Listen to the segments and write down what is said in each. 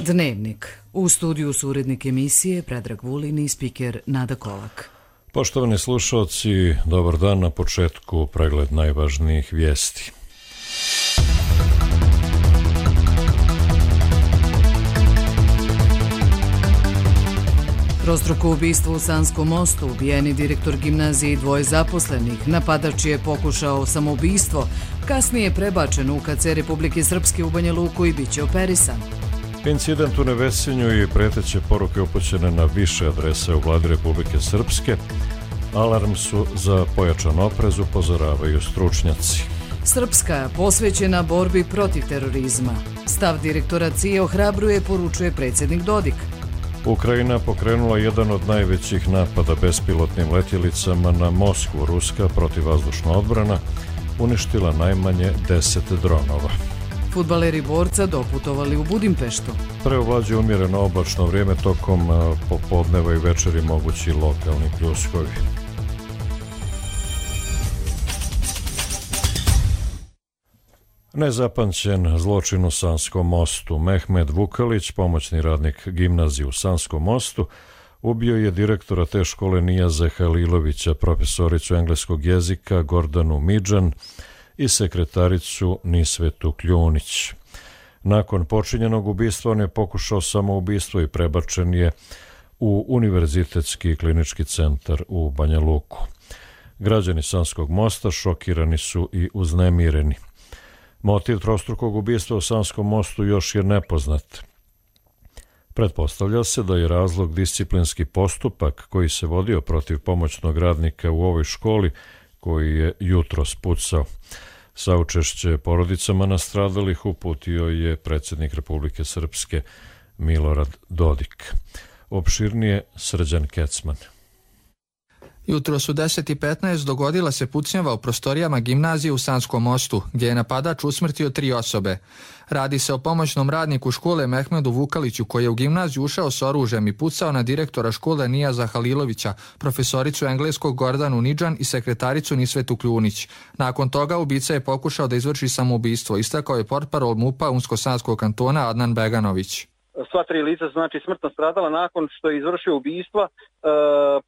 Dnevnik. U studiju su urednik emisije Predrag Vulin i spiker Nada Kolak. Poštovani slušalci, dobar dan. Na početku pregled najvažnijih vijesti. Trostruko ubistvo u Sanskom mostu, ubijeni direktor gimnazije i dvoje zaposlenih, napadač je pokušao samoubistvo, kasnije prebačen u UKC Republike Srpske u Banja Luku i biće operisan. Incident u Nevesinju i preteće poruke upućene na više adrese u vladi Republike Srpske. Alarm su za pojačan oprez, upozoravaju stručnjaci. Srpska posvećena borbi protiv terorizma. Stav direktora CIA ohrabruje, poručuje predsjednik Dodik. Ukrajina pokrenula jedan od najvećih napada bespilotnim letjelicama na Moskvu. Ruska protivvazdušna odbrana uništila najmanje 10 dronova. Fudbaleri Borca doputovali u Budimpeštu. Preovlađuje umjereno oblačno vrijeme, tokom popodneva i večeri mogući lokalni pljuskovi. Nezapamćen zločin u Sanskom mostu. Mehmed Vukalić, pomoćni radnik gimnazije u Sanskom mostu, ubio je direktora te škole Nijaza Halilovića, profesoricu engleskog jezika Gordanu Midžan i sekretaricu Nisvetu Kljunić. Nakon počinjenog ubistva on je pokušao samoubistvo i prebačen je u Univerzitetski klinički centar u Banja Luku. Građani Sanskog mosta šokirani su i uznemireni. Motiv trostrukog ubistva u Sanskom mostu još je nepoznat. Pretpostavlja se da je razlog disciplinski postupak koji se vodio protiv pomoćnog radnika u ovoj školi, koji je jutros pucao. Saučešće porodicama nastradalih uputio je predsjednik Republike Srpske Milorad Dodik. Opširnije Srđan Kecman. Jutros u 10:15 dogodila se pucnjava u prostorijama gimnazije u Sanskom mostu, gdje je napadač usmrtio 3 osobe. Radi se o pomoćnom radniku škole Mehmedu Vukaliću, koji je u gimnaziju ušao s oružjem i pucao na direktora škole Nijaza Halilovića, profesoricu engleskog Gordanu Midžan i sekretaricu Nisvetu Kljunić. Nakon toga ubica je pokušao da izvrši samoubistvo, istakao je portparol MUP-a Unsko-Sanskog kantona Adnan Beganović. Sva 3 lica znači smrtno stradala nakon što je izvršio ubistva.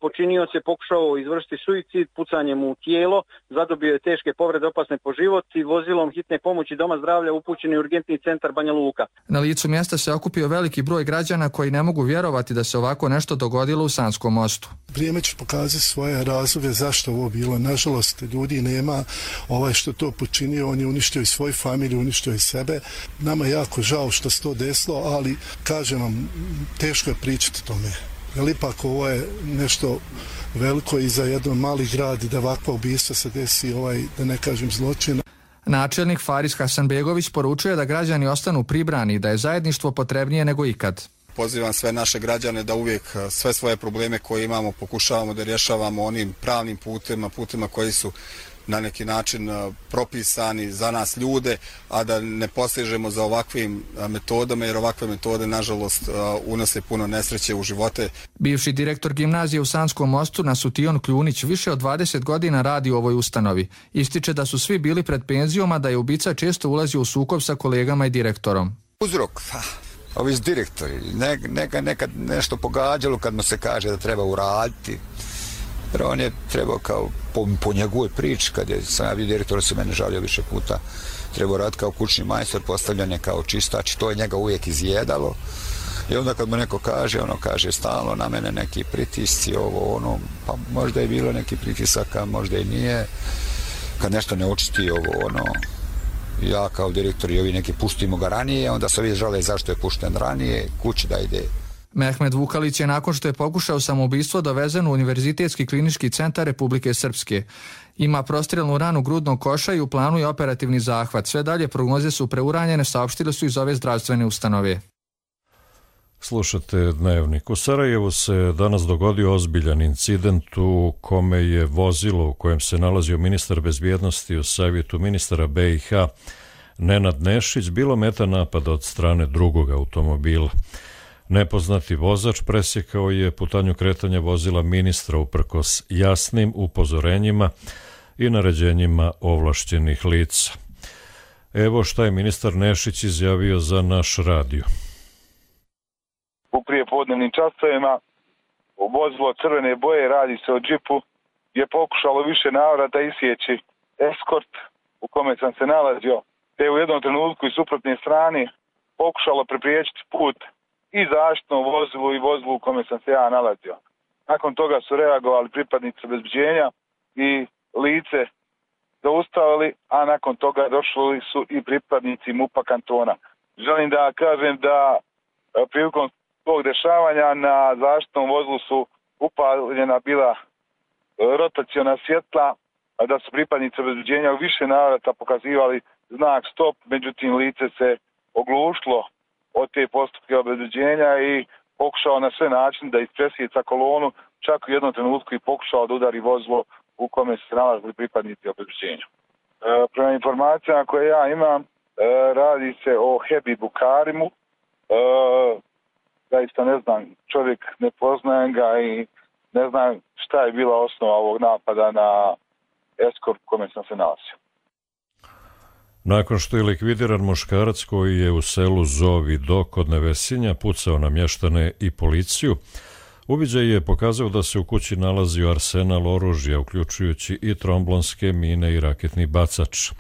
Počinioc je pokušao izvršiti suicid pucanjem u tijelo, zadobio je teške povrede opasne po život i vozilom hitne pomoći Doma zdravlja upućen je u urgentni centar Banja Luka. Na licu mjesta se okupio veliki broj građana koji ne mogu vjerovati da se ovako nešto dogodilo u Sanskom mostu. Vrijeme će pokazati svoje razloge zašto ovo bilo. Nažalost, ljudi nema, što to počinio, on je uništio i svoju familiju, uništio i sebe. Nama je jako žao što se to desilo, ali kažem vam, teško je pričati o tome. Jer ipak ovo je nešto veliko i za jedan mali grad da ovakva ubistva se desi, da ne kažem zločin. Načelnik Faris Hasanbegović poručuje da građani ostanu pribrani i da je zajedništvo potrebnije nego ikad. Pozivam sve naše građane da uvijek sve svoje probleme koje imamo pokušavamo da rješavamo onim pravnim putima koji su na neki način propisani za nas ljude, a da ne posežemo za ovakvim metodama, jer ovakve metode nažalost unose puno nesreće u živote. Bivši direktor gimnazije u Sanskom mostu Nasution Kljunić više od 20 godina radi u ovoj ustanovi. Ističe da su svi bili pred penzijom, a da je ubica često ulazio u sukob sa kolegama i direktorom. Uzrok, ovi direktori, nekad nešto pogađalo kad mu se kaže da treba uraditi. Jer on je trebao kao po njegovoj priči, kad sam ja bio direktor, se mene žalio više puta, trebao raditi kao kućni majstor, postavljan je kao čistač, to je njega uvijek izjedalo. I onda kad mu neko kaže, kaže stalno na mene neki pritisci, pa možda je bilo neki pritisaka, možda i nije. Kad nešto ne očisti, ja kao direktor i ovi neki pustimo ga ranije, onda se ovi žale zašto je pušten ranije, kući da ide. Mehmed Vukalić je nakon što je pokušao samoubistvo dovezen u Univerzitetski klinički centar Republike Srpske. Ima prostrijelnu ranu grudnog koša i u planu je operativni zahvat. Sve dalje prognoze su preuranjene, saopštili su iz ove zdravstvene ustanove. Slušate Dnevnik. U Sarajevu se danas dogodio ozbiljan incident u kome je vozilo u kojem se nalazio ministar bezbjednosti u savjetu ministara BiH Nenad Nešić bilo meta napada od strane drugog automobila. Nepoznati vozač presjekao je putanju kretanja vozila ministra uprkos jasnim upozorenjima i naređenjima ovlašćenih lica. Evo šta je ministar Nešić izjavio za naš radio. u prijepodnevnim časovima. Vozilo crvene boje, radi se o džipu, je pokušalo više navrata isjeći eskort u kome sam se nalazio, te u jednom trenutku iz suprotne strane pokušalo prepriječiti put i zaštitnom vozilu i vozilu u kome sam se ja nalazio. Nakon toga su reagovali pripadnici obezbeđenja i lice zaustavili, a nakon toga došli su i pripadnici MUP-a kantona. Želim da kažem da prilikom tog dešavanja na zaštitnom vozilu su upaljena bila rotaciona svjetla, a da su pripadnici obezbeđenja u više navrata pokazivali znak stop, međutim lice se oglušilo od te postupke obezbeđenja i pokušao na sve načine da ispresjeca kolonu, čak u jednom trenutku i pokušao da udari vozilo u kome se nalazili pripadnici obezbeđenja. Prema informacijama koje ja imam, radi se o Hebibu Karimu. Zaista ne znam, čovjek ne poznajem ga i ne znam šta je bila osnova ovog napada na eskort u kome sam se nalazio. Nakon što je likvidiran muškarac koji je u selu Zovi Do kod Nevesinja pucao na mještane i policiju, uviđaj je pokazao da se u kući nalazio arsenal oružja, uključujući i tromblonske mine i raketni bacač.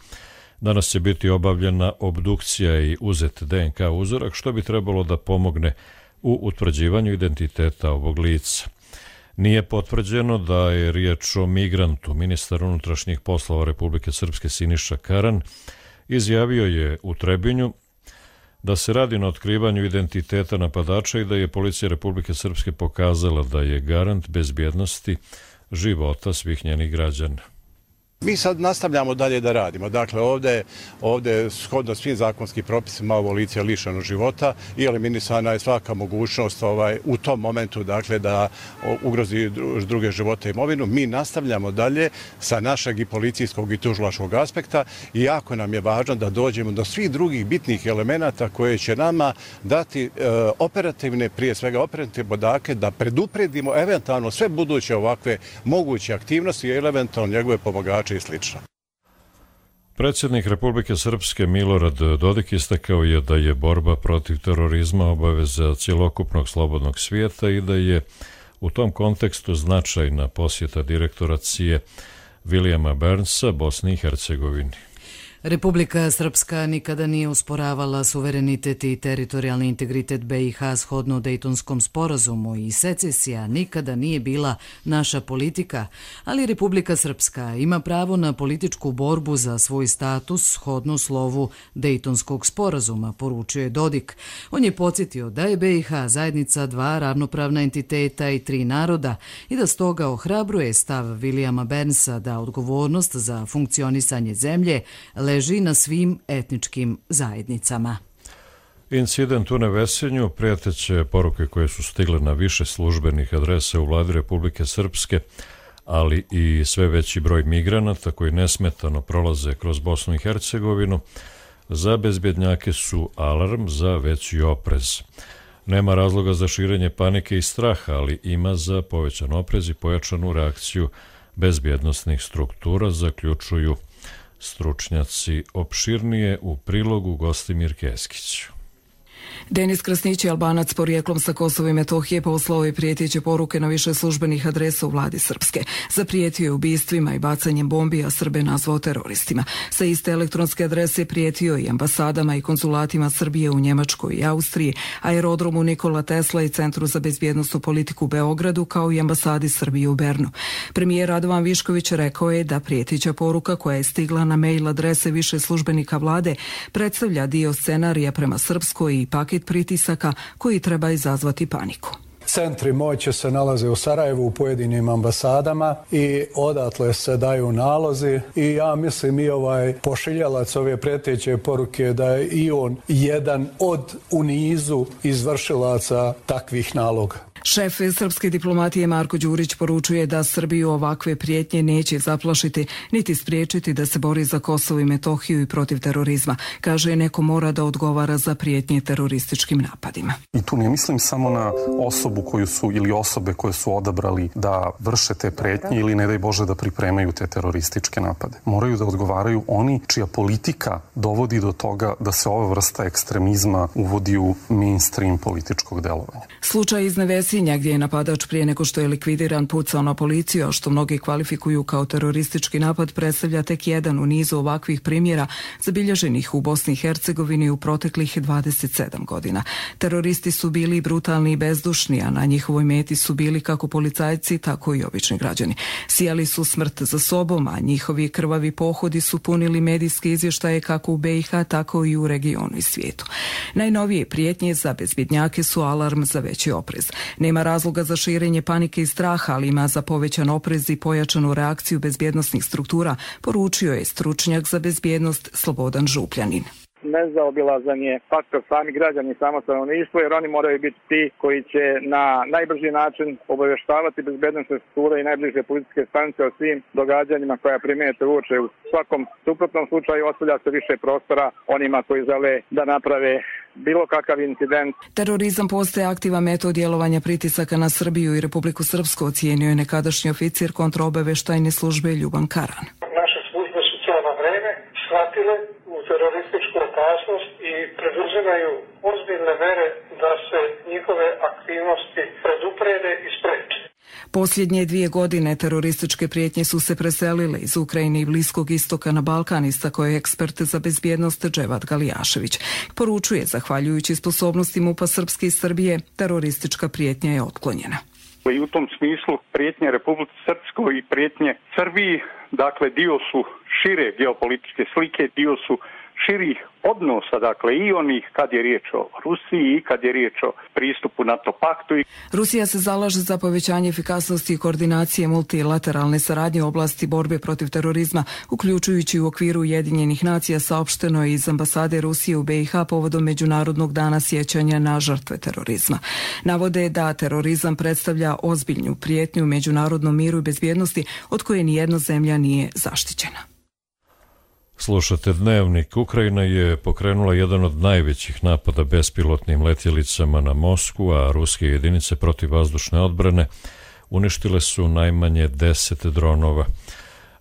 Danas će biti obavljena obdukcija i uzet DNK uzorak, što bi trebalo da pomogne u utvrđivanju identiteta ovog lica. Nije potvrđeno da je riječ o migrantu. Ministar unutrašnjih poslova Republike Srpske Siniša Karan izjavio je u Trebinju da se radi na otkrivanju identiteta napadača i da je policija Republike Srpske pokazala da je garant bezbjednosti života svih njenih građana. Mi sad nastavljamo dalje da radimo. Dakle, ovdje shodno svim zakonskim propisima ovo lice je lišeno života i eliminisana je svaka mogućnost u tom momentu da ugrozi druge živote i imovinu. Mi nastavljamo dalje sa našeg i policijskog i tužilačkog aspekta i jako nam je važno da dođemo do svih drugih bitnih elemenata koje će nama dati operativne, prije svega operativne podatke da predupredimo eventualno sve buduće ovakve moguće aktivnosti i eventualno njegove pomagače i slično. Predsjednik Republike Srpske Milorad Dodik istakao je da je borba protiv terorizma obaveza cjelokupnog slobodnog svijeta i da je u tom kontekstu značajna posjeta direktora CIA Williama Burnsa Bosni i Hercegovini. Republika Srpska nikada nije usporavala suverenitet i teritorijalni integritet BiH shodno Dejtonskom sporazumu i secesija nikada nije bila naša politika, ali Republika Srpska ima pravo na političku borbu za svoj status shodno slovu Dejtonskog sporazuma, poručio je Dodik. On je podsjetio da je BiH zajednica dva ravnopravna entiteta i tri naroda i da stoga ohrabruje stav Williama Burnsa da odgovornost za funkcionisanje zemlje leži na svim etničkim zajednicama. Incident u Nevesinju, prijeteće poruke koje su stigle na više službenih adresa u vladi Republike Srpske, ali i sve veći broj migranata koji nesmetano prolaze kroz Bosnu i Hercegovinu, za bezbjednjake su alarm za veći oprez. Nema razloga za širenje panike i straha, ali ima za povećan oprez i pojačanu reakciju bezbjednosnih struktura, zaključuju stručnjaci. Opširnije u prilogu Gostimir Keskić. Denis Krasnić je Albanac porijeklom sa Kosova i Metohije, poslao je prijeteće poruke na više službenih adresa u vladi Srpske. Zaprijetio je ubistvima i bacanjem bombi, a Srbe nazvao teroristima. Sa iste elektronske adrese prijetio i ambasadama i konzulatima Srbije u Njemačkoj i Austriji, aerodromu Nikola Tesla i Centru za bezbjednosnu politiku u Beogradu, kao i ambasadi Srbije u Bernu. Premijer Radovan Višković rekao je da prijeteća poruka koja je stigla na mail adrese više službenika vlade predstavlja dio scenarija prema Srpskoj i paket pritisaka koji treba izazvati paniku. Centri moći se nalaze u Sarajevu u pojedinim ambasadama i odatle se daju nalozi i ja mislim i ovaj pošiljalac ove prijeteće poruke da je i on jedan od u nizu izvršilaca takvih naloga. Šef srpske diplomatije Marko Đurić poručuje da Srbiju ovakve prijetnje neće zaplašiti niti spriječiti da se bori za Kosovo i Metohiju i protiv terorizma. Kaže, neko mora da odgovara za prijetnje terorističkim napadima. I tu ne mislim samo na osobu koju su ili osobe koje su odabrali da vrše te prijetnje ili ne daj Bože da pripremaju te terorističke napade. Moraju da odgovaraju oni čija politika dovodi do toga da se ova vrsta ekstremizma uvodi u mainstream političkog delovanja. Slučaj iz Nevesinja gdje je napadač prije nego što je likvidiran pucao na policiju, a što mnogi kvalifikuju kao teroristički napad, predstavlja tek jedan u nizu ovakvih primjera zabilježenih u Bosni i Hercegovini u proteklih 27 godina. Teroristi su bili brutalni i bezdušni, a na njihovoj meti su bili kako policajci, tako i obični građani. Sijali su smrt za sobom, a njihovi krvavi pohodi su punili medijske izvještaje kako u BiH, tako i u regionu i svijetu. Najnovije prijetnje za bezbjednjake su alarm za veći oprez. Nema razloga za širenje panike i straha, ali ima za povećan oprez i pojačanu reakciju bezbjednosnih struktura, poručio je stručnjak za bezbjednost Slobodan Župljanin. Nezaobilazan je faktor sami građani i samo stanovništvo, jer oni moraju biti ti koji će na najbrži način obavještavati bezbednosne strukture i najbliže policijske stanice o svim događanjima koja primijete uoče. U svakom suprotnom slučaju ostavlja se više prostora onima koji žele da naprave bilo kakav incident. Terorizam postaje aktivan metod djelovanja pritisaka na Srbiju i Republiku Srpsku, ocijenio je nekadašnji oficir kontraobavještajne službe Ljuban Karan. Naše službe su cijelo vreme shvatile u terorističku opasnost i preduzimaju ozbiljne mere da se njihove aktivnosti preduprede i spreče. Posljednje 2 godine terorističke prijetnje su se preselile iz Ukrajine i Bliskog istoka na Balkan, istakao je ekspert za bezbjednost Dževat Galijašević. Poručuje, zahvaljujući sposobnosti MUP-a Srpske i Srbije, teroristička prijetnja je otklonjena. I u tom smislu prijetnje Republike Srpskoj i prijetnje Srbiji, dakle, dio su šire geopolitičke slike, dio su širih odnosa, dakle, i onih kad je riječ o Rusiji i kad je riječ o pristupu NATO paktu. Rusija se zalaže za povećanje efikasnosti i koordinacije multilateralne saradnje u oblasti borbe protiv terorizma, uključujući u okviru Ujedinjenih nacija, saopšteno je iz ambasade Rusije u BiH povodom Međunarodnog dana sjećanja na žrtve terorizma. Navode da terorizam predstavlja ozbiljnu prijetnju međunarodnom miru i bezbjednosti od koje nijedna zemlja nije zaštićena. Slušate Dnevnik. Ukrajina je pokrenula jedan od najvećih napada bespilotnim letjelicama na Moskvu, a ruske jedinice protivvazdušne odbrane uništile su najmanje 10 dronova.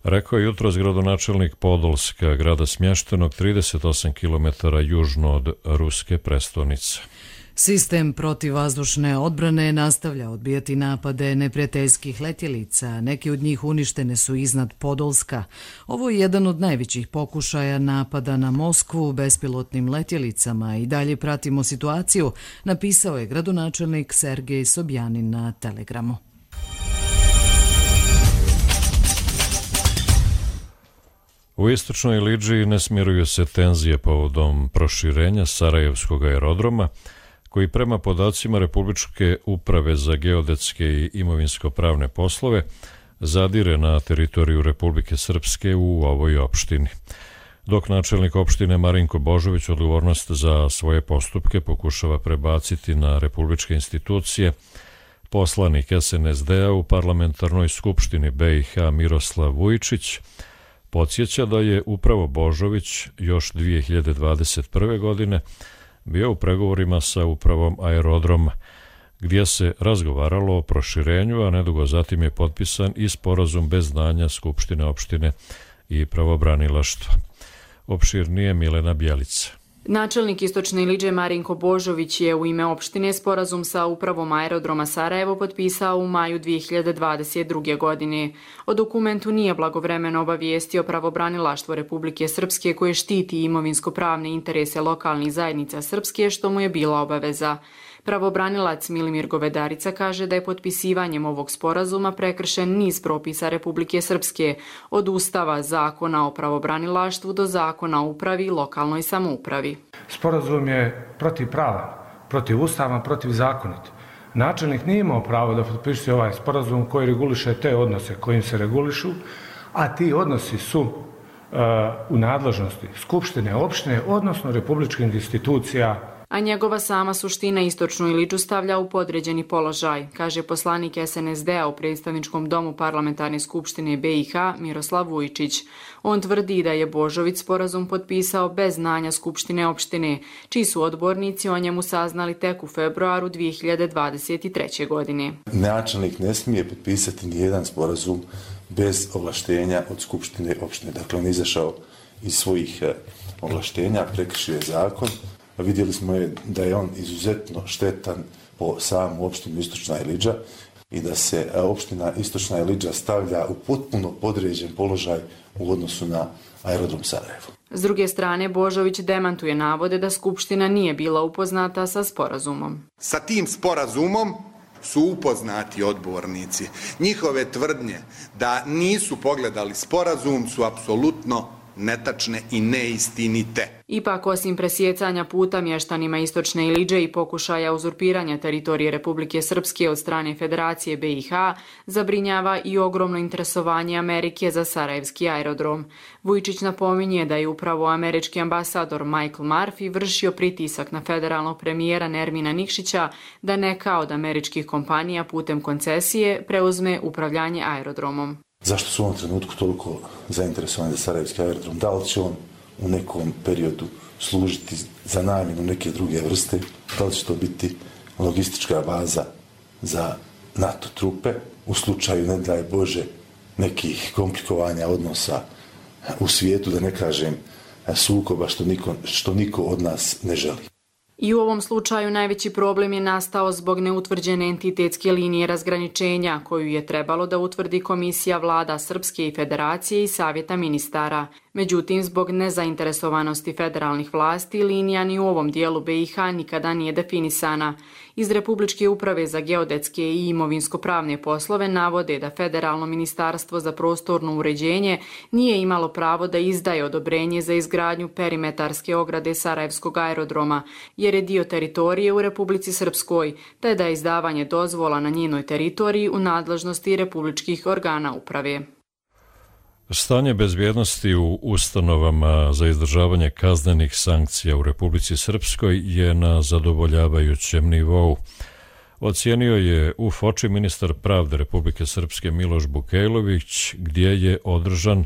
Rekao je jutros gradonačelnik Podolska, grada smještenog 38 km južno od ruske prestonice. Sistem protivvazdušne odbrane nastavlja odbijati napade neprijateljskih letjelica. Neki od njih uništene su iznad Podolska. Ovo je jedan od najvećih pokušaja napada na Moskvu bespilotnim letjelicama i dalje pratimo situaciju, napisao je gradonačelnik Sergej Sobjanin na Telegramu. U istočnoj Lidži ne smiruju se tenzije povodom proširenja Sarajevskog aerodroma, koji prema podacima Republičke uprave za geodetske i imovinsko-pravne poslove zadire na teritoriju Republike Srpske u ovoj opštini. Dok načelnik opštine Marinko Božović odgovornost za svoje postupke pokušava prebaciti na republičke institucije, poslanik SNSD-a u parlamentarnoj skupštini BiH Miroslav Vujčić podsjeća da je upravo Božović još 2021. godine bio u pregovorima sa upravom aerodroma, gdje se razgovaralo o proširenju, a nedugo zatim je potpisan i sporazum bez znanja Skupštine opštine i pravobranilaštva. Opširnije Milena Bjelica. Načelnik Istočne Lidže Marinko Božović je u ime opštine sporazum sa upravom aerodroma Sarajevo potpisao u maju 2022. godine. O dokumentu nije blagovremeno obavijestio pravobranilaštvo Republike Srpske koje štiti imovinsko-pravne interese lokalnih zajednica Srpske, što mu je bila obaveza. Pravobranilac Milimir Govedarica kaže da je potpisivanjem ovog sporazuma prekršen niz propisa Republike Srpske, od Ustava, Zakona o pravobranilaštvu do Zakona o upravi i lokalnoj samoupravi. Sporazum je protivpravan, protivustavan, protivzakonit. Načelnik nije imao pravo da potpiše ovaj sporazum koji reguliše te odnose kojim se regulišu, a ti odnosi su u nadležnosti Skupštine opštine, odnosno republičkih institucija. a njegova sama suština Istočnu Iliđu stavlja u podređeni položaj, kaže poslanik SNSD-a u predstavničkom domu Parlamentarne skupštine BiH Miroslav Vujčić. On tvrdi da je Božović sporazum potpisao bez znanja Skupštine opštine, čiji su odbornici o njemu saznali tek u februaru 2023. godine. Načelnik ne smije potpisati nijedan sporazum bez ovlaštenja od Skupštine opštine. Dakle, on je izašao iz svojih ovlaštenja, prekršio je zakon. Vidjeli smo da je on izuzetno štetan po samu opštinu Istočna Iliđa i da se opština Istočna Iliđa stavlja u potpuno podređen položaj u odnosu na aerodrom Sarajevo. S druge strane, Božović demantuje navode da Skupština nije bila upoznata sa sporazumom. Sa tim sporazumom su upoznati odbornici. Njihove tvrdnje da nisu pogledali sporazum su apsolutno netačne i neistinite. Ipak, osim presjecanja puta mještanima Istočne Iliđe i pokušaja uzurpiranja teritorije Republike Srpske od strane Federacije BiH, zabrinjava i ogromno interesovanje Amerike za sarajevski aerodrom. Vujčić napominje da je upravo američki ambasador Michael Murphy vršio pritisak na federalnog premijera Nermina Nikšića da neka od američkih kompanija putem koncesije preuzme upravljanje aerodromom. Zašto su u ovom trenutku toliko zainteresovani za sarajevski aerodrom? Da li će on u nekom periodu služiti za namjenu neke druge vrste? Da li će to biti logistička baza za NATO trupe u slučaju, ne daj Bože, nekih komplikovanja odnosa u svijetu, da ne kažem sukoba što niko od nas ne želi? I u ovom slučaju najveći problem je nastao zbog neutvrđene entitetske linije razgraničenja koju je trebalo da utvrdi Komisija vlada Srpske i Federacije i Savjeta ministara. Međutim, zbog nezainteresovanosti federalnih vlasti, linija ni u ovom dijelu BiH nikada nije definisana. Iz Republičke uprave za geodetske i imovinsko-pravne poslove navode da Federalno ministarstvo za prostorno uređenje nije imalo pravo da izdaje odobrenje za izgradnju perimetarske ograde Sarajevskog aerodroma, jer je dio teritorije u Republici Srpskoj, te da je izdavanje dozvola na njenoj teritoriji u nadležnosti republičkih organa uprave. Stanje bezbjednosti u ustanovama za izdržavanje kaznenih sankcija u Republici Srpskoj je na zadovoljavajućem nivou. Ocijenio je u Foči ministar pravde Republike Srpske Miloš Bukejlović, gdje je održan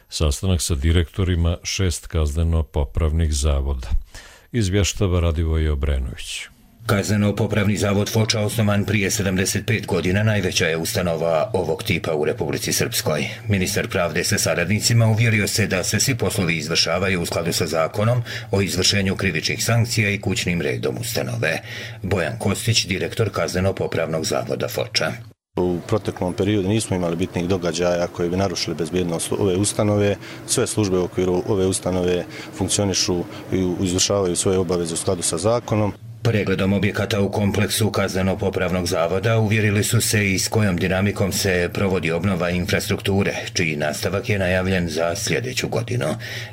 sastanak sa direktorima 6 kazneno-popravnih zavoda. Izvještava Radivoje Obrenović. Kazneno-popravni zavod Foča, osnovan prije 75 godina, najveća je ustanova ovog tipa u Republici Srpskoj. Ministar pravde sa saradnicima uvjerio se da se svi poslovi izvršavaju u skladu sa zakonom o izvršenju krivičnih sankcija i kućnim redom ustanove. Bojan Kostić, direktor Kazneno-popravnog zavoda Foča. U proteklom periodu nismo imali bitnih događaja koji bi narušili bezbjednost ove ustanove. Sve službe u okviru ove ustanove funkcionišu i izvršavaju svoje obaveze u skladu sa zakonom. Pregledom objekata u kompleksu Kazneno-popravnog zavoda uvjerili su se i s kojom dinamikom se provodi obnova infrastrukture, čiji nastavak je najavljen za sljedeću godinu.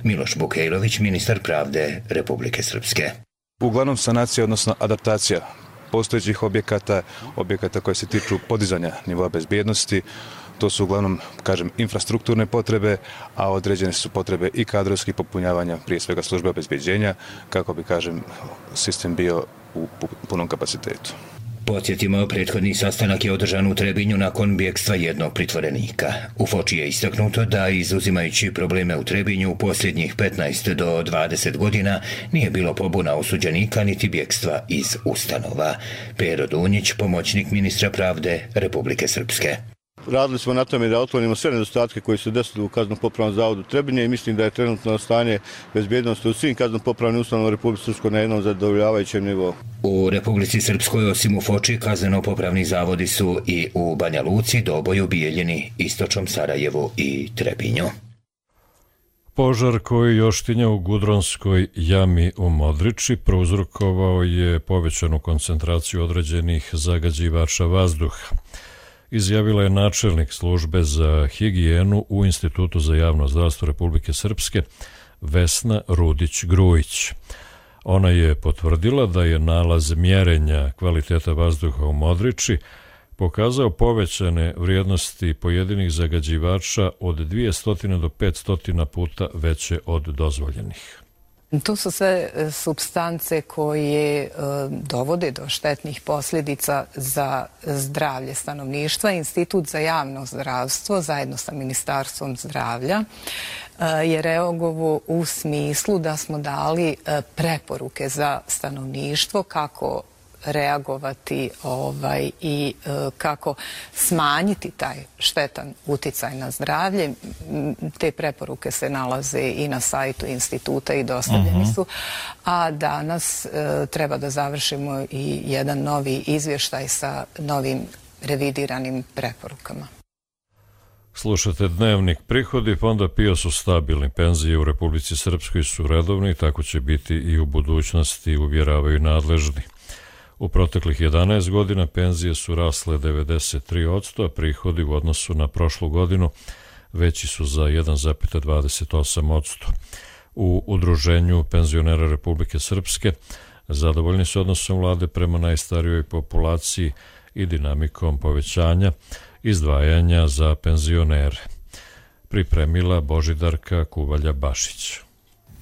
Miloš Bukejlović, ministar pravde Republike Srpske. Uglavnom sanacija, odnosno adaptacija postojećih objekata koje se tiču podizanja nivoa bezbjednosti. To su uglavnom, infrastrukturne potrebe, a određene su potrebe i kadrovskih popunjavanja, prije svega službe obezbeđenja, kako bi, sistem bio u punom kapacitetu. Podsjetimo, prethodni sastanak je održan u Trebinju nakon bjegstva jednog pritvorenika. U Foči je istaknuto da, izuzimajući probleme u Trebinju, u posljednjih 15 do 20 godina nije bilo pobuna osuđenika niti bjegstva iz ustanova. Pero Dunjić, pomoćnik ministra pravde Republike Srpske. Radili smo na tome da otklonimo sve nedostatke koji su desili u Kazneno-popravnom zavodu Trebinje i mislim da je trenutno stanje bezbjednosti u svim kazneno-popravnim ustanovama u Republici Srpskoj na jednom zadovoljavajućem nivou. U Republici Srpskoj, osim u Foči, kazneno-popravni zavodi su i u Banja Luci, Doboju, Bijeljini, Istočnom Sarajevu i Trebinju. Požar koji još tinja u Gudronskoj jami u Modriči prouzrokovao je povećanu koncentraciju određenih zagađivača vazduha. Izjavila je načelnik službe za higijenu u Institutu za javno zdravstvo Republike Srpske Vesna Rudić-Grujić. Ona je potvrdila da je nalaz mjerenja kvaliteta vazduha u Modriči pokazao povećane vrijednosti pojedinih zagađivača od 200 do 500 puta veće od dozvoljenih. To su sve supstance koje dovode do štetnih posljedica za zdravlje stanovništva. Institut za javno zdravstvo zajedno sa Ministarstvom zdravlja je reagovao u smislu da smo dali preporuke za stanovništvo kako reagovati i kako smanjiti taj štetan uticaj na zdravlje. Te preporuke se nalaze i na sajtu instituta i dostavljeni su. A danas treba da završimo i jedan novi izvještaj sa novim revidiranim preporukama. Slušate Dnevnik. Prihodi Fonda PIO su stabilni, penzije u Republici Srpskoj su redovni, tako će biti i u budućnosti, uvjeravaju nadležni. U proteklih 11 godina penzije su rasle 93%, a prihodi u odnosu na prošlu godinu veći su za 1,28%. U Udruženju penzionera Republike Srpske zadovoljni su odnosom vlade prema najstarijoj populaciji i dinamikom povećanja izdvajanja za penzionere. Pripremila Božidarka Kuvalja-Bašić.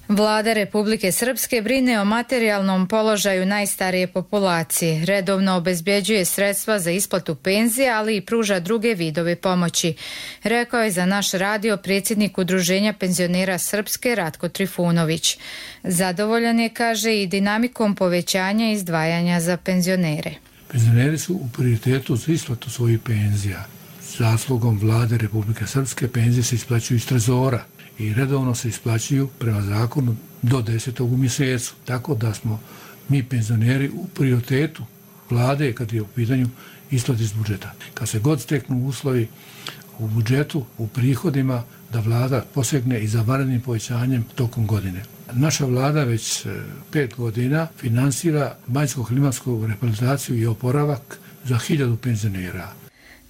Vlada Republike Srpske brine o materijalnom položaju najstarije populacije, redovno obezbjeđuje sredstva za isplatu penzija, ali i pruža druge vidove pomoći, rekao je za naš radio predsjednik Udruženja penzionera Srpske Ratko Trifunović. Zadovoljan je, kaže, i dinamikom povećanja izdvajanja za penzionere. Penzioneri su u prioritetu za isplatu svojih penzija. Zaslugom Vlade Republike Srpske penzije se isplaćuju iz trezora i redovno se isplaćuju prema zakonu do 10. u mjesecu. Tako da smo mi penzioneri u prioritetu vlade kad je u pitanju isplati iz budžeta. Kad se god steknu uslovi u budžetu, u prihodima, da vlada posegne i za vanrednim povećanjem tokom godine. Naša vlada već 5 godina finansira banjsko-klimatsku rehabilitaciju i oporavak za 1000 penzionera.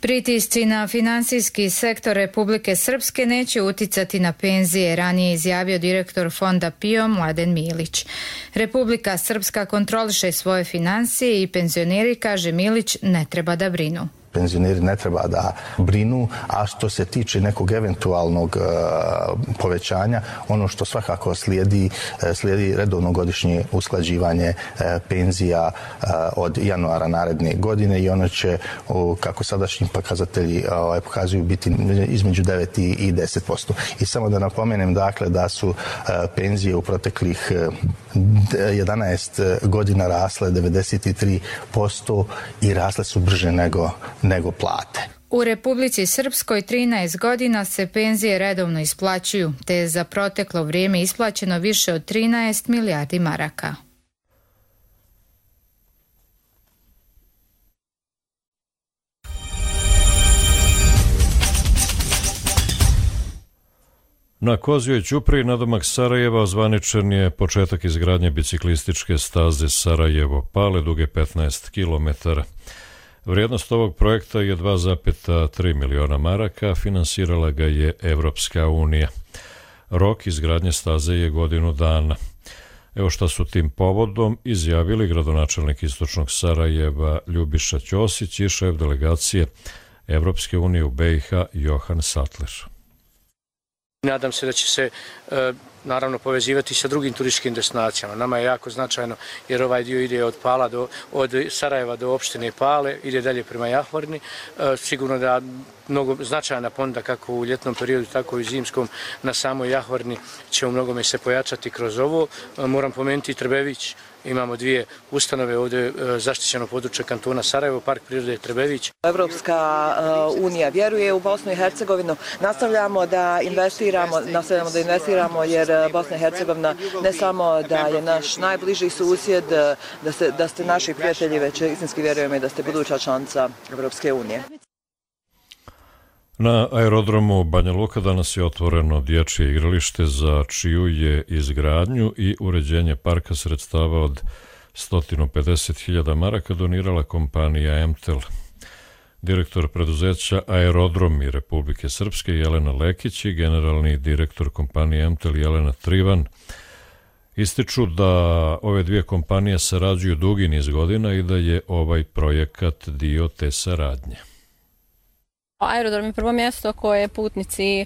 Pritisci na finansijski sektor Republike Srpske neće uticati na penzije, ranije izjavio direktor Fonda PIO Mladen Milić. Republika Srpska kontroliše svoje financije i penzioneri, kaže Milić, ne treba da brinu. Penzioneri ne treba da brinu, a što se tiče nekog eventualnog povećanja, ono što svakako slijedi redovno godišnje usklađivanje penzija od januara naredne godine i ono će, kako sadašnji pokazatelji pokazuju, biti između 9 i 10%. I samo da napomenem, dakle, da su penzije u proteklih 11 godina rasle 93% i rasle su brže nego plate. U Republici Srpskoj 13 godina se penzije redovno isplaćuju, te je za proteklo vrijeme isplaćeno više od 13 milijardi maraka. Na Kozjoj ćupriji nadomak Sarajeva ozvaničen je početak izgradnje biciklističke staze Sarajevo-Pale duge 15 km. Vrijednost ovog projekta je 2,3 miliona maraka, finansirala ga je Evropska unija. Rok izgradnje staze je godinu dana. Evo šta su tim povodom izjavili gradonačelnik Istočnog Sarajeva Ljubiša Ćosić i šef delegacije Evropske unije u BiH Johan Sattler. Nadam se da će se naravno povezivati sa drugim turističkim destinacijama. Nama je jako značajno jer ovaj dio ide od Sarajeva do opštine Pale, ide dalje prema Jahorni. Sigurno da mnogo značajna ponuda kako u ljetnom periodu, tako i u zimskom na samoj Jahorni će u mnogome se pojačati kroz ovo. Moram pomenuti i Trbević. Imamo 2 ustanove ovdje, zaštićeno područje kantona Sarajevo, Park prirode Trbević. Evropska unija vjeruje u Bosnu i Hercegovinu. Nastavljamo da investiramo jer Bosna i Hercegovina ne samo da je naš najbliži susjed, da ste naši prijatelji, već istinski vjerujemo i da ste buduća članica Evropske unije. Na aerodromu Banja Luka danas je otvoreno dječje igralište za čiju je izgradnju i uređenje parka sredstava od 150.000 maraka donirala kompanija MTEL. Direktor preduzeća Aerodromi Republike Srpske Jelena Lekić i generalni direktor kompanije MTEL Jelena Trivan ističu da ove dvije kompanije sarađuju dugi niz godina i da je ovaj projekat dio te saradnje. Aerodrom je prvo mjesto koje putnici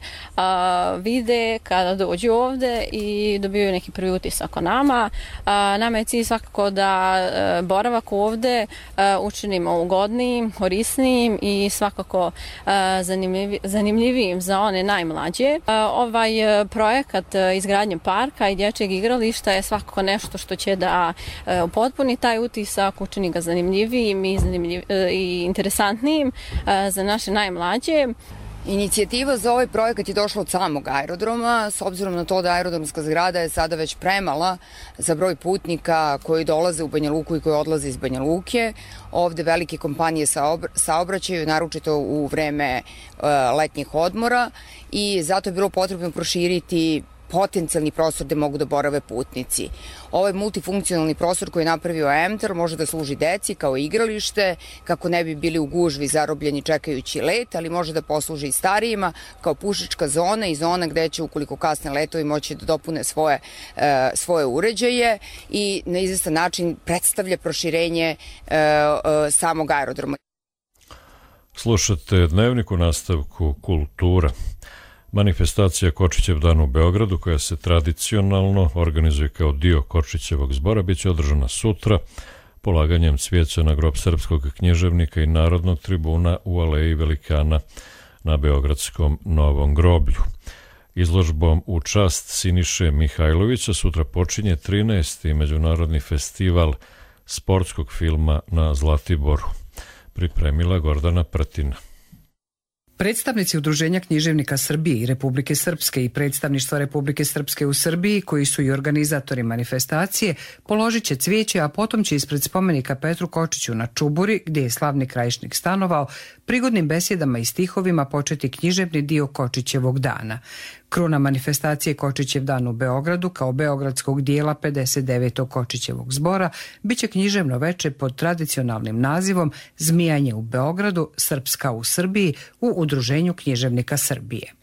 vide kada dođu ovde i dobiju neki prvi utisak o nama. Nama je cilj svakako da boravak ovde učinimo ugodnijim, korisnijim i svakako zanimljivijim za one najmlađe. Ovaj projekat izgradnje parka i dječjeg igrališta je svakako nešto što će da upotpuni taj utisak, učini ga zanimljivijim i interesantnijim za naše najmlađe. Inicijativa za ovaj projekat je došla od samog aerodroma, s obzirom na to da aerodromska zgrada je sada već premala za broj putnika koji dolaze u Banja Luku i koji odlaze iz Banja Luke. Ovde velike kompanije saobraćaju, naročito u vreme letnjih odmora, i zato je bilo potrebno proširiti potencijalni prostor gde mogu da borave putnici. Ovaj multifunkcionalni prostor koji je napravio EMTAR može da služi deci kao igralište, kako ne bi bili u gužvi zarobljeni čekajući let, ali može da posluži i starijima kao pušička zona i zona gde će, ukoliko kasne letovi, moći da dopune svoje uređaje i na izvestan način predstavlja proširenje samog aerodroma. Slušate Dnevnik, u nastavku kultura. Manifestacija Kočićev dan u Beogradu, koja se tradicionalno organizuje kao dio Kočićevog zbora, biće održana sutra polaganjem cvijeća na grob srpskog književnika i narodnog tribuna u Aleji Velikana na beogradskom Novom groblju. Izložbom u čast Siniše Mihajlovića sutra počinje 13. Međunarodni festival sportskog filma na Zlatiboru. Pripremila Gordana Prtina. Predstavnici Udruženja književnika Srbije i Republike Srpske i predstavništva Republike Srpske u Srbiji, koji su i organizatori manifestacije, položit će cvijeće, a potom će ispred spomenika Petru Kočiću na Čuburi, gdje je slavni Krajišnik stanovao, prigodnim besjedama i stihovima početi književni dio Kočićevog dana. Kruna manifestacije Kočićev dan u Beogradu kao beogradskog dijela 59. Kočićevog zbora biće književno veče pod tradicionalnim nazivom Zmijanje u Beogradu, Srpska u Srbiji u Udruženju književnika Srbije.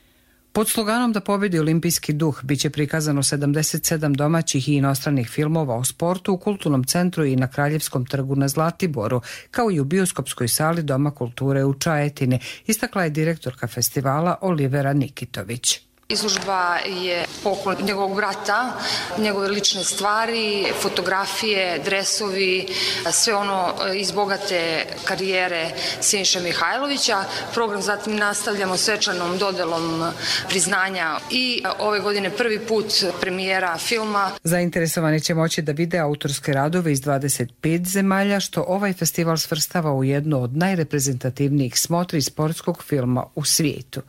Pod sloganom Da pobedi olimpijski duh biće prikazano 77 domaćih i inostranih filmova o sportu u Kulturnom centru i na Kraljevskom trgu na Zlatiboru, kao i u bioskopskoj sali Doma kulture u Čajetini, istakla je direktorka festivala Olivera Nikitović. Izložba je poklon njegovog brata, njegove lične stvari, fotografije, dresovi, sve ono iz bogate karijere Siniše Mihajlovića. Program zatim nastavljamo svečanom dodelom priznanja i ove godine prvi put premijera filma. Zainteresovani će moći da vide autorske radove iz 25 zemalja, što ovaj festival svrstava u jednu od najreprezentativnijih smotri sportskog filma u svijetu.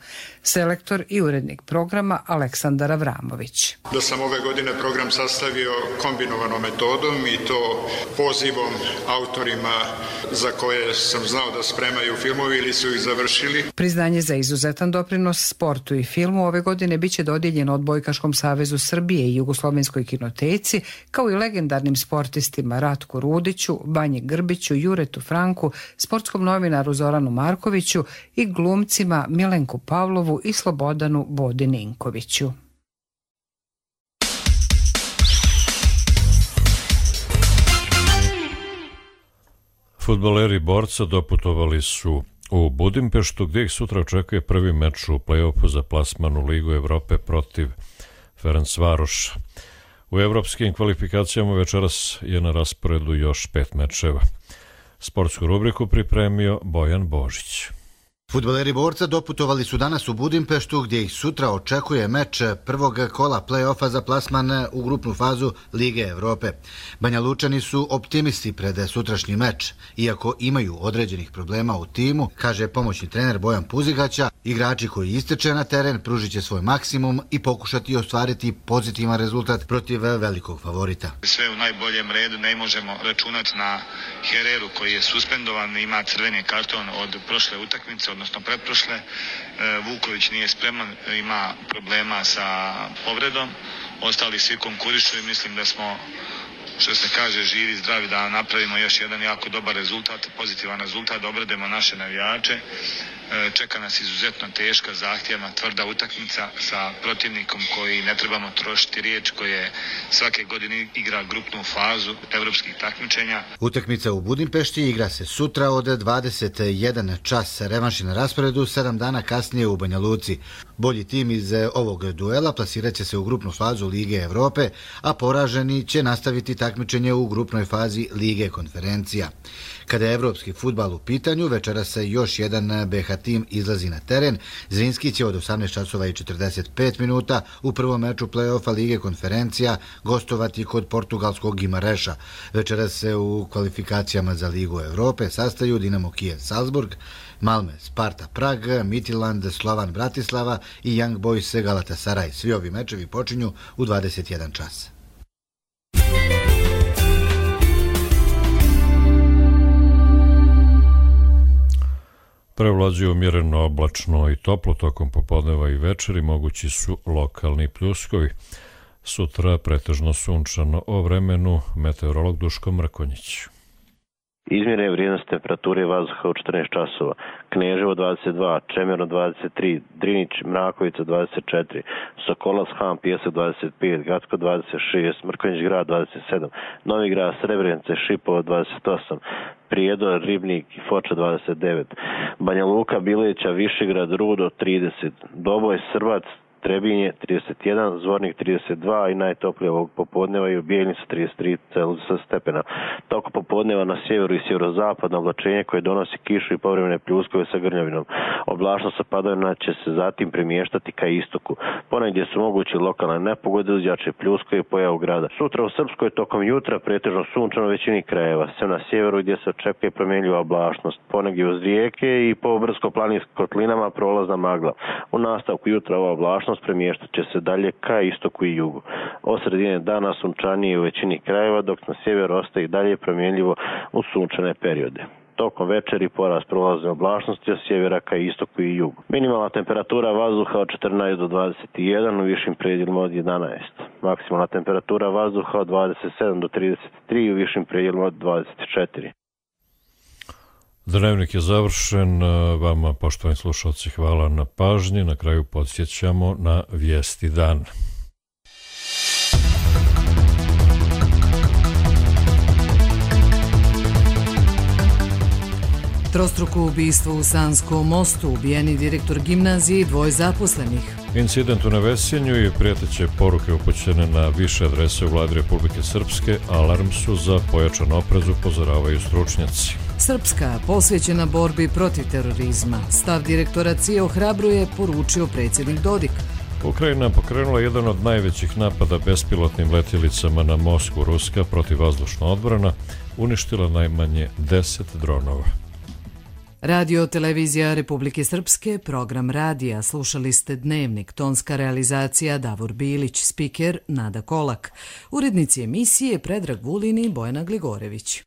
Selektor i urednik programa Aleksandar Avramović. Da sam ove godine program sastavio kombinovanom metodom i to pozivom autorima za koje sam znao da spremaju filmovi ili su ih završili. Priznanje za izuzetan doprinos sportu i filmu ove godine biće dodijeljeno Odbojkaškom savezu Srbije i Jugoslovenskoj kinoteci, kao i legendarnim sportistima Ratku Rudiću, Banji Grbiću, Juretu Franku, sportskom novinaru Zoranu Markoviću i glumcima Milenku Pavlovu i Slobodanu Bodi Ninkoviću. Fudbaleri Borca doputovali su u Budimpeštu, gdje ih sutra očekuje prvi meč u play-offu za plasman u Ligu Evrope protiv Ferencvaroša. U evropskim kvalifikacijama večeras je na rasporedu još 5 mečeva. Sportsku rubriku pripremio Bojan Božić. Fudbaleri Borca doputovali su danas u Budimpeštu, gdje ih sutra očekuje meč prvog kola play-offa za plasman u grupnu fazu Lige Evrope. Banja Lučani su optimisti pred sutrašnji meč. Iako imaju određenih problema u timu, kaže pomoćni trener Bojan Puzigaća, igrači koji isteče na teren pružit će svoj maksimum i pokušati ostvariti pozitivan rezultat protiv velikog favorita. Sve u najboljem redu, ne možemo računati na Hereru koji je suspendovan, ima crveni karton od prošle utakmice, odnosno pretprošle. Vuković nije spreman, ima problema sa povredom. Ostali svi konkurišu i mislim da smo, što se kaže, živi, zdravi, da napravimo još jedan jako dobar rezultat, pozitivan rezultat, da obrademo naše navijače. Čeka nas izuzetno teška, zahtjevna, tvrda utakmica sa protivnikom koji ne trebamo trošiti riječ, koje svake godine igra grupnu fazu evropskih takmičenja. Utakmica u Budimpešti igra se sutra od 21 čas. Revanš je na rasporedu 7 dana kasnije u Banja Luci. Bolji tim iz ovog duela plasirat će se u grupnu fazu Lige Evrope, a poraženi će nastaviti takmičenje u grupnoj fazi Lige konferencija. Kada je evropski fudbal u pitanju, večera se još jedan BH tim izlazi na teren. Zrinski će od 18:45 minuta u prvom meču play-offa Lige konferencija gostovati kod portugalskog Guimareša. Večera se u kvalifikacijama za Ligu Evrope sastaju Dinamo Kijev Salzburg, Malme Sparta Prag, Midtjylland Slovan Bratislava i Young Boys Galatasaray. Svi ovi mečevi počinju u 21 čas. Prevlađuje umjereno oblačno i toplo tokom popodneva i večeri, mogući su lokalni pljuskovi. Sutra pretežno sunčano o vremenu, meteorolog Duško Mrkonjić. Izmjere vrijednost temperature vazduha u 14 časova. Kneževo 22, Čemerno 23, Drinić, Mrakovica 24, Sokolac, Han, Pijesak 25, Gacko 26, Mrkonjić grad 27, Novi grad, Srebrenice, Šipovo 28, Prijedor, Ribnik i Foča 29, Banja Luka, Bilića, Višegrad, Rudo 30, Doboj, Srbac, Trebinje 31, Zvornik 32 i najtoplije ovog popodneva i u Bijeljnicu 33 Celzijusa stepena. Toko popodneva na sjeveru i sjeverozapadno oblačenje koje donosi kišu i povremene pljuskove sa grnjavinom. Oblačnost sa padavina će se zatim premještati ka istoku. Ponegdje su mogući lokalne nepogode uz jače pljuskove i pojavu grada. Sutra u Srpskoj tokom jutra pretežno sunčano u većini krajeva, sem na sjeveru gdje se očekuje promjenljiva oblačnost. Ponegdje uz rijeke i po brdsko-planinskim kotlinama prolazna magla. U nastavku jutra ova oblačnost premještat će se dalje ka istoku i jugu. Od sredine dana sunčanije u većini krajeva, dok na sjeveru ostaje dalje promjenljivo u sunčane periode. Tokom večeri porast prolazne oblačnosti od sjevera ka istoku i jugu. Minimalna temperatura vazduha od 14 do 21, u višim predjelima od 11. Maksimalna temperatura vazduha od 27 do 33, u višim predjelima od 24. Dnevnik je završen. Vama, poštovani slušalci, hvala na pažnji. Na kraju podsjećamo na vijesti dana. Trostruko ubistvo u Sanskom mostu, ubijeni direktor gimnazije i 2 zaposlenih. Incident u Nevesinju i prijeteće poruke upućene na više adrese u vladi Republike Srpske alarm su za pojačan oprez, upozoravaju stručnjaci. Srpska posvećena borbi protiv terorizma. Stav direktora CIA ohrabruje, poručio predsjednik Dodik. Ukrajina pokrenula jedan od najvećih napada bespilotnim letjelicama na Moskvu. Ruska protivvazdušna odbrana uništila najmanje 10 dronova. Radio televizija Republike Srpske, program radija. Slušali ste Dnevnik, tonska realizacija Davor Bilić, spiker Nada Kolak. Urednici emisije Predrag Vulin i Bojana Gligorević.